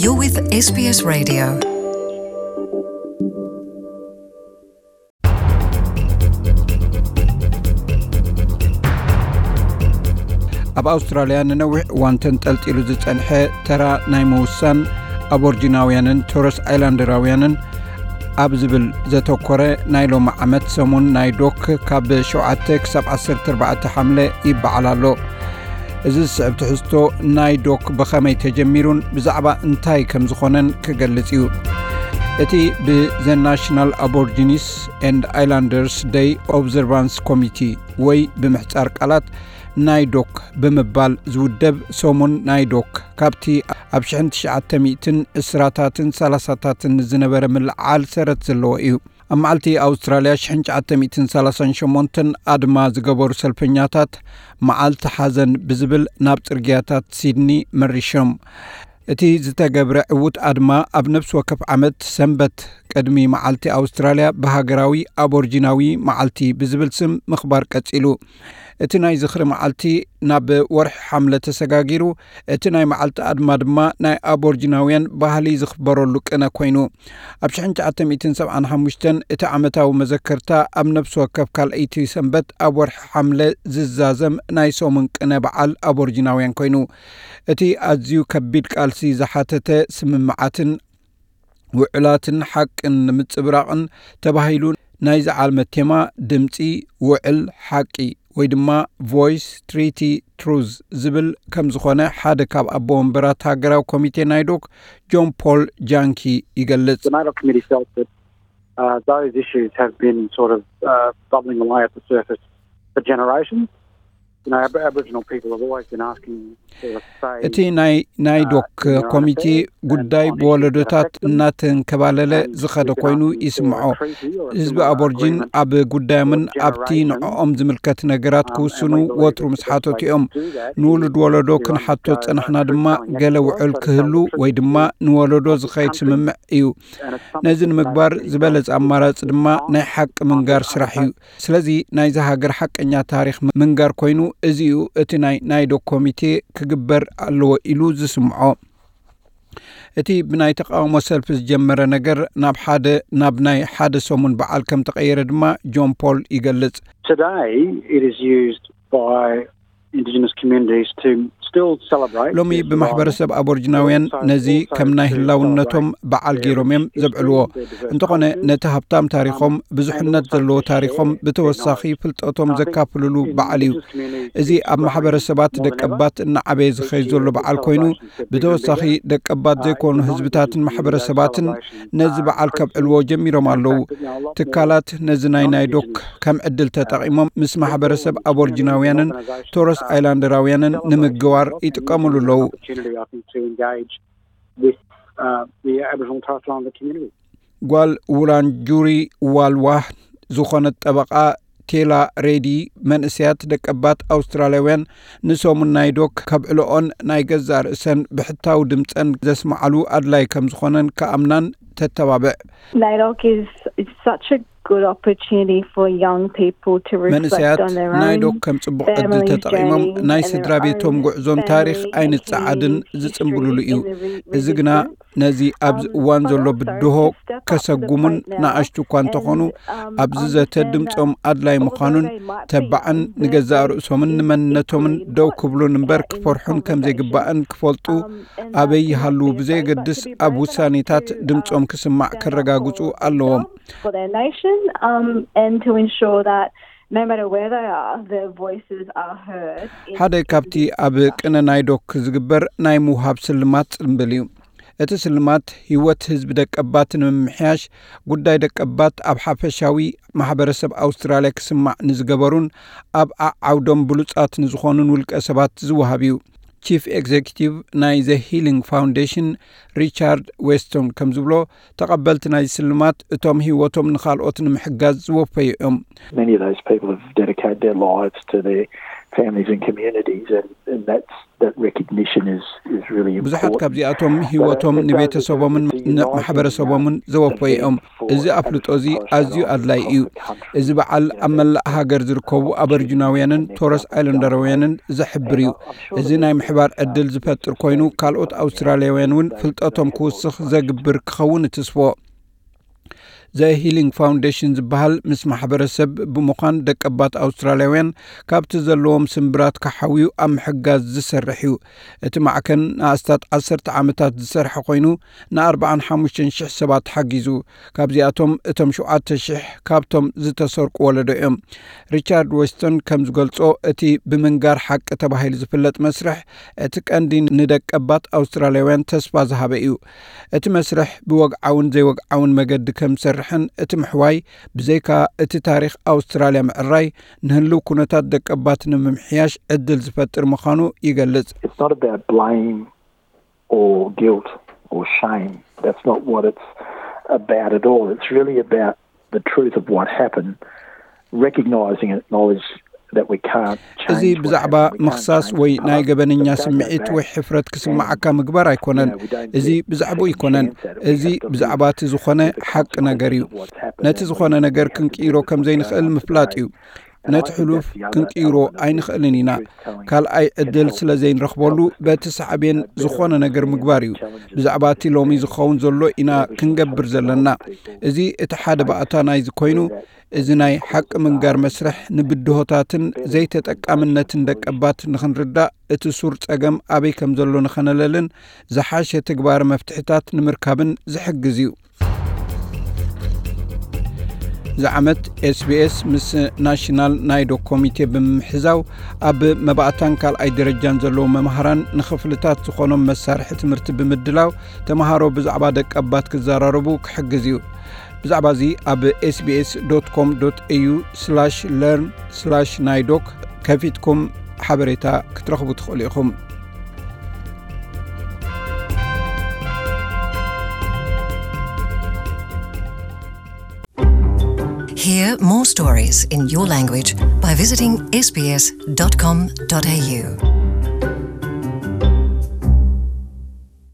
You're with S B S Radio. ኣብ ኣውስትራልያ ንነዊሕ እዋን ተንጠልጢሉ ዝጸንሐ ተራ ናይ ምውሳን ኣቦርጂናውያንን ቶረስ ኣይላንደራውያንን ኣብ ዝብል ዘተኮረ ናይ ሎሚ ዓመት ሰሙን ናይ ዶክ ካብ ሸውዓተ ክሳብ ዓሰርተ ኣርባዕተ ሓምለ ይበዓል ኣሎ። እዚ ዝስዕብ ትሕዝቶ ናይ ዶክ ብኸመይ ተጀሚሩን ብዛዕባ እንታይ ከም ዝኾነን ክገልጽ እዩ። እቲ ብ The National Aborigines and Islanders Day Observance Committee ወይ ብምሕጻር ቃላት ናይ ዶክ ብምባል ዝውደብ ሰሙን ናይ ዶክ ካብቲ ኣብ ሽሕን ትሽዓተ ሚእትን ዕስራታትን ሰላሳታትን ዝነበረ ምልዓል ሰረት ዘለዎ እዩ። ኣብ መዓልቲ ኣውስትራልያ ሽሕን ትሽዓተ ሚእትን ሰላሳን ሸሞንተን ኣድማ ዝገበሩ ሰልፈኛታት መዓልቲ ሓዘን ብዝብል ናብ ጽርግያታት ሲድኒ መሪሾም። እቲ ዝተገብረ ዕዉት ኣድማ ኣብ ነፍሲ ወከፍ ዓመት ሰንበት ቅድሚ መዓልቲ ኣውስትራልያ ብሃገራዊ ኣቦርጂናዊ መዓልቲ ብዝብል ስም ምኽባር ቀጺሉ። እቲ ናይ ዝኽሪ መዓልቲ ናብ ወርሒ ሓምለ ተሰጋጊሩ፣ እቲ ናይ መዓልቲ ኣድማ ድማ ናይ ኣቦርጂናውያን ባህሊ ዝኽበረሉ ቅነ ኮይኑ። ኣብ ሽሕን ትሽዓተ ሚእትን ሰብዓን ሓሙሽተን እቲ ዓመታዊ መዘከርታ ኣብ ነፍሲ ወከፍ ካልኣይቲ ሰንበት ኣብ ወርሒ ሓምለ ዝዛዘም ናይ ሰሙን ቅነ በዓል ኣቦርጂናውያን ኮይኑ። እቲ ኣዝዩ ከቢድ ቃልሲ ዝሓተተ ስምምዓትን ውዕላትን ሓቅን ንምጽብራቕን ተባሂሉ ናይዚ ዓመት ቴማ ድምጺ ውዕል ሓቂ ወይ ድማ ቮይስ ትሪቲ ትሩዝ ዝብል ከም ዝኾነ ሓደ ካብ ኣቦ ወንበራት ሃገራዊ ኮሚቴ ናይ ዶክ ጆን ፖል ጃንኪ ይገልጽ። The NAIDOC committee felt that uh, those issues have been sort of uh, bubbling away at the surface for generations. You know, Ab- Aboriginal people have always been asking for a say. እቲ ናይ ናይ ዶክ ኮሚቴ ጉዳይ ብወለዶታት እናተንከባለለ ዝኸደ ኮይኑ ይስምዖ። ህዝቢ ኣቦርጂን ኣብ ጉዳዮምን ኣብቲ ንዕኦም ዝምልከት ነገራት ክውስኑ ወትሩ ምስ ሓተቱ እዮም። ንውሉድ ወለዶ ክንሓቶ ዝጸናሕና ድማ ገለ ውዕል ክህሉ ወይ ድማ ንወለዶ ዝኸይድ ስምምዕ እዩ። ነዚ ንምግባር ዝበለጸ ኣማራጺ ድማ ናይ ሓቂ ምንጋር ስራሕ እዩ። ስለዚ ናይዚ ሃገር ሓቀኛ ታሪኽ ምንጋር ኮይኑ፣ እዚ እዩ እቲ ናይ ናይዶ ኮሚቴ ክግበር ኣለዎ ኢሉ ዝስምዖ። እቲ ብናይ ተቃውሞ ሰልፊ ዝጀመረ ነገር ናብ ሓደ ናብ ናይ ሓደ ሰሙን በዓል ከም ተቐየረ ድማ ጆን ፖል ይገልጽ። Today, it is used by Indigenous communities to still celebrate ሎሚ ብማሕበረሰብ ኣቦርጅናውያን ነዚ ከም ናይ ህላውነቶም በዓል ገይሮም እዮም ዘብዕልዎ። እንተኾነ ነቲ ሃብታም ታሪኾም፣ ብዙሕነት ዘለዎ ታሪኾም ብተወሳኺ ፍልጠቶም ዘካፍልሉ በዓል እዩ። እዚ ኣብ ማሕበረሰባት ደቀባት እናዓበየ ዝኸይድ ዘሎ በዓል ኮይኑ፣ ብተወሳኺ ደቀባት ዘይኮኑ ህዝብታትን ማሕበረሰባትን ነዚ በዓል ከብዕልዎ ጀሚሮም ኣለዉ። ትካላት ነዚ ናይ ናይዶክ ከም ዕድል ተጠቒሞም ምስ ማሕበረሰብ ኣቦርጅናውያንን ቶረስ ኣይላንደራውያንን ንምግባር ይጥቀምሉ ኣለዉ። Opportunity, I think, to engage with uh, the Aboriginal Torres Strait Islander community. ጓል ውራንጁሪ ዋልዋ ዝኾነት ጠበቓ ቴላ ሬዲ፣ መንእሰያት ደቀባት ኣውስትራልያውያን ንሰሙን ናይ ዶክ ከብዕልኦን ናይ ገዛእ ርእሰን ብሕታዊ ድምጸን ዘስምዓሉ ኣድላይ ከም ዝኾነን ክኣምናን ተተባብዕ። NAIDOC is, is such a good opportunity for young people to reflect መንእሰያት on their ናይ own ዶክ ከም ጽቡቕ ዕድል family ተጠቒሞም journey ናይ and ስድራ their ቤቶም own ጉዕዞን ታሪኽ family ኣይንጸዓድን achieved ዝጽንብሉሉ history እዩ። In the re- እዚ ግና resistance. ነዚ ኣብዚ እዋን ዘሎ ብድሆ ከሰጉሙን ንኣሽቱ እኳ እንተኾኑ፣ ኣብዚ ዘተ ድምጾም ኣድላይ ምዃኑን ተባዕን ንገዛእ ርእሶምን ንመንነቶምን ደው ክብሉን እምበር ክፈርሑን ከም ዘይግባእን ክፈልጡ፣ ኣበይ ይሃልዉ ብዘየገድስ ኣብ ውሳኔታት ድምጾም ክስማዕ ከረጋግጹ ኣለዎም። For their nation, um, and to ensure that no matter where they are, their voices are heard. ሓደ ካብቲ ኣብ ቅነ ናይ ዶክ ዝግበር ናይ ምውሃብ ስልማት ጽምብል እዩ። እቲ ስልማት ህይወት ህዝቢ ደቀባት ንምምሕያሽ፣ ጉዳይ ደቀባት ኣብ ሓፈሻዊ ማሕበረሰብ ኣውስትራልያ ክስማዕ ንዝገበሩን ኣብ ዓዓውዶም ብሉጻት ንዝኾኑን ውልቀ ሰባት ዝወሃብ እዩ። ቺፍ ኤግዜኪቲቭ ናይ ዘ ሂሊንግ ፋውንዴሽን ሪቻርድ ዌስቶን ከም ዝብሎ፣ ተቐበልቲ ናይ ስልማት እቶም ህይወቶም ንኻልኦት ንምሕጋዝ ዝወፈዩ እዮም። Many of those people have dedicated their lives to their families and communities, and, and that's that recognition is is really ብዙሓት ካብዚኣቶም ህይወቶም ንቤተሰቦምን ንማሕበረሰቦምን ዘወፈይኦም። እዚ ኣፍልጦ እዚ ኣዝዩ ኣድላይ እዩ። እዚ በዓል ኣብ መላእ ሃገር ዝርከቡ ኣበርጅናውያንን ቶረስ ኣይለንደራውያንን ዘሕብር እዩ። እዚ ናይ ምሕባር ዕድል ዝፈጥር ኮይኑ፣ ካልኦት ኣውስትራልያውያን እውን ፍልጠቶም ክውስኽ ዘግብር ክኸውን እትስፎ። ዘ ሂሊንግ ፋውንዴሽን ዝበሃል ምስ ማሕበረሰብ ብምዃን ደቀባት ኣውስትራልያውያን ካብቲ ዘለዎም ስምብራት ክሓውዩ ኣብ ምሕጋዝ ዝሰርሕ እዩ። እቲ ማዕከን ንኣስታት ዓሰርተ ዓመታት ዝሰርሐ ኮይኑ፣ ን45 ሽሕ ሰባት ሓጊዙ። ካብዚኣቶም እቶም ሸውዓተ ሽሕ ካብቶም ዝተሰርቁ ወለዶ እዮም። ሪቻርድ ዌስቶን ከም ዝገልጾ፣ እቲ ብምንጋር ሓቂ ተባሂሉ ዝፍለጥ መስርሕ እቲ ቀንዲ ንደቀባት ኣውስትራልያውያን ተስፋ ዝሃበ እዩ። እቲ መስርሕ ብወግዓውን ዘይወግዓውን መገዲ ከም ዝሰርሕን እቲ ምሕዋይ ብዘይካ እቲ ታሪኽ ኣውስትራልያ ምዕራይ ንህልው ኩነታት ደቀባት ንምምሕያሽ ዕድል ዝፈጥር ምዃኑ ይገልጽ። It's not about blame or guilt or shame. That's not what it's about at all. It's really about the truth of what happened, recognizing and acknowledge that we can't እዚ change what ብዛዕባ happened. We can't ምኽሳስ change ወይ the ናይ past, ገበነኛ but it does go ስምዒት back ወይ ሕፍረት ክስምዓካ ምግባር ኣይኮነን። እዚ ብዛዕባኡ ኣይኮነን። እዚ ብዛዕባ እቲ ዝኾነ ሓቂ ነገር እዩ። ነቲ ዝኾነ ነገር ክንቅይሮ ከም ዘይንኽእል ምፍላጥ እዩ። ነቲ ሕሉፍ ክንቅይሮ ኣይንኽእልን ኢና። ካልኣይ ዕድል ስለ ዘይንረኽበሉ፣ በቲ ሳዕቤን ዝኾነ ነገር ምግባር እዩ። ብዛዕባ እቲ ሎሚ ዝኸውን ዘሎ ኢና ክንገብር ዘለና። እዚ እቲ ሓደ ባእታ ናይዚ ኮይኑ፣ እዚ ናይ ሓቂ ምንጋር መስርሕ ንብድሆታትን ዘይተጠቃምነትን ደቀባት ንኽንርዳእ፣ እቲ ሱር ጸገም ኣበይ ከም ዘሎ ንኸነለልን ዝሓሸ ተግባር መፍትሕታት ንምርካብን ዝሕግዝ እዩ። እዚ ዓመት ኤስቢኤስ ምስ ናሽናል ናይዶክ ኮሚቴ ብምሕዛው፣ ኣብ መባእታን ካልኣይ ደረጃን ዘለዉ መምሃራን ንኽፍልታት ዝኾኖም መሳርሒ ትምህርቲ ብምድላው፣ ተምሃሮ ብዛዕባ ደቀባት ክዘራረቡ ክሕግዝ እዩ። ብዛዕባ እዚ ኣብ ኤስቢኤስ ዶት ኮም ዶት ኤዩ ስላሽ ለርን ስላሽ ናይዶክ ከፊትኩም ሓበሬታ ክትረኽቡ ትኽእሉ ኢኹም። Hear more stories in your language by visiting sbs.com.au.